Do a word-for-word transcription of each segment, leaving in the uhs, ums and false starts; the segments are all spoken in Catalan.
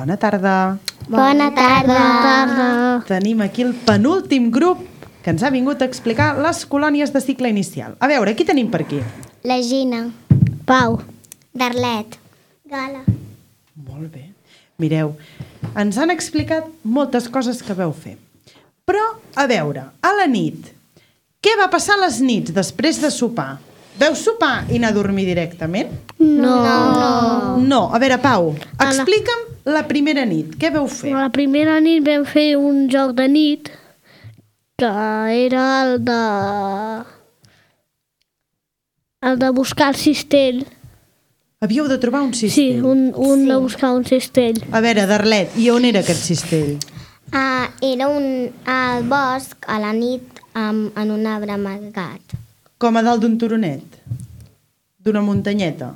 Bona tarda. Bona tarda. Bona tarda. Tenim aquí el penúltim grup que ens ha vingut a explicar les colònies de cicle inicial. A veure, qui tenim per aquí? La Gina. Pau. Darlet. Gala. Molt bé. Mireu, ens han explicat moltes coses que veu fer. Però, a veure, a la nit, què va passar a les nits després de sopar? Veu sopar i anar a dormir directament? No. No. No. A veure, Pau, explica'm la primera nit. Què veu fer? La primera nit vam fer un joc de nit que era el de... el de buscar el cistell. Havíeu de trobar un Sí, cistell. un, un Sí. de buscar un cistell. A veure, Darlet, i on era aquest cistell? Uh, era un, al bosc, a la nit, um, en un arbre amagat. Com a dalt d'un turonet? D'una muntanyeta?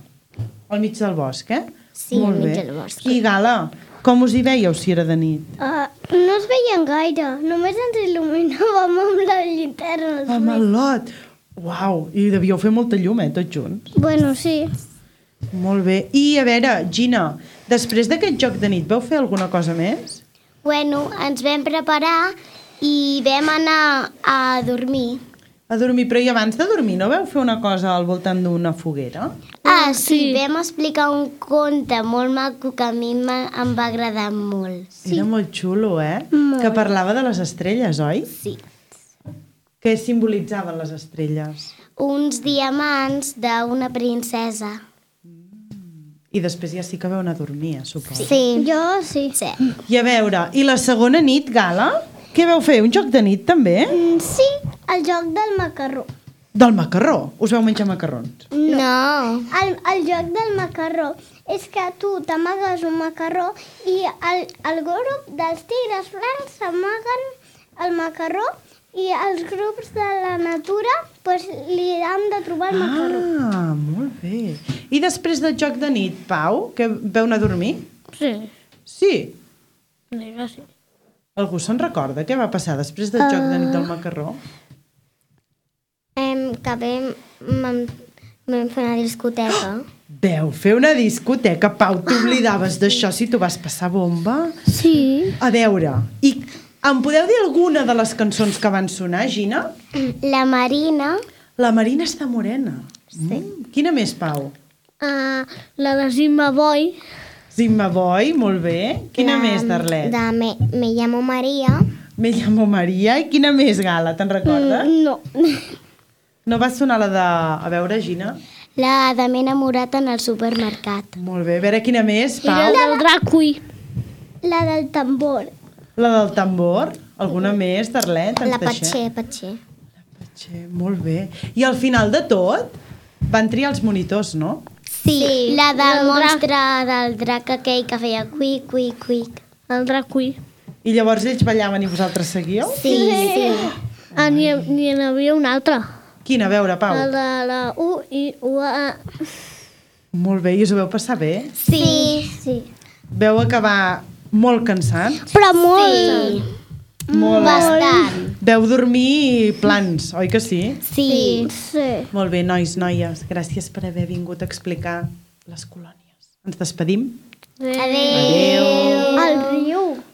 Al mig del bosc, eh? Sí, Molt al mig bé. del bosc. I Gala, com us hi veieu si era de nit? Uh, no es veien gaire, només ens il·luminàvem amb la llinterna. Amb el lot. Uau, i devíeu fer molta llum, eh, tots junts. Bueno, sí. Molt bé. I a veure, Gina, després d'aquest joc de nit, vau fer alguna cosa més? Bueno, ens vam preparar i vam anar a dormir. A dormir, però i abans de dormir no vau fer una cosa al voltant d'una foguera? Ah, sí, sí. vam explicar un conte molt maco que a mi em em va agradar molt. Sí. Era molt xulo, eh? Molt. Que parlava de les estrelles, oi? Sí. Què simbolitzaven les estrelles? Uns diamants d'una princesa. I després ja sí que vau anar a dormir, suposo. Sí. Jo sí. Sí. I a veure, i la segona nit, Gala? Què vau fer? Un joc de nit, també? Mm, sí, el joc del macarró. Del macarró? Us vau menjar macarrons? No. El, el joc del macarró és que tu t'amagues un macarró i el, el grup dels tigres blancs s'amaguen el macarró i els grups de la natura pues, li han de trobar el macarró. Ah, molt bé. I després del joc de nit, Pau, que veu anar a dormir? Sí, Sí. digue sí. Algú se'n recorda què va passar després del joc de nit del macarró? Em, que vam, vam, vam fer una discoteca. Veu fer una discoteca, Pau, t'oblidaves d'això si tu vas passar bomba? Sí. A veure, i em podeu dir alguna de les cançons que van sonar, Gina? La Marina. La Marina està morena. Sí. Mm. Quina més, Pau? Uh, la de Zimba Boy. Zimba Boy, molt bé. Quina la, més, Darlet? De me, me llamo Maria. Me llamo Maria. I quina més, Gala, te'n recordes? Mm, no. No va sonar la de... A veure, Gina? La de m'he enamorat en el supermercat. Molt bé. A veure, quina més, I la Pau? del Dracui. La del tambor. La del tambor? Alguna més, Darlet? Ens La deixem? Patxer, Patxer. Patxer, molt bé. I al final de tot van triar els monitors, no? Sí, sí, la del del monstre del drac aquell que feia cuic, cuic, cuic. El Dracui. I llavors ells ballaven i vosaltres seguíeu? Sí, sí. Ah, n'hi n'hi havia una altra. Quina? A veure, Pau. La de la U i U A. Molt bé. I us ho veu passar bé? Sí. Sí. Veu acabar molt cansats? Però molt. Sí. Molt. Bastant. Veu dormir plans, oi que sí? Sí. Sí. Molt bé, nois, noies. Gràcies per haver vingut a explicar les colònies. Ens despedim? Adéu. El riu.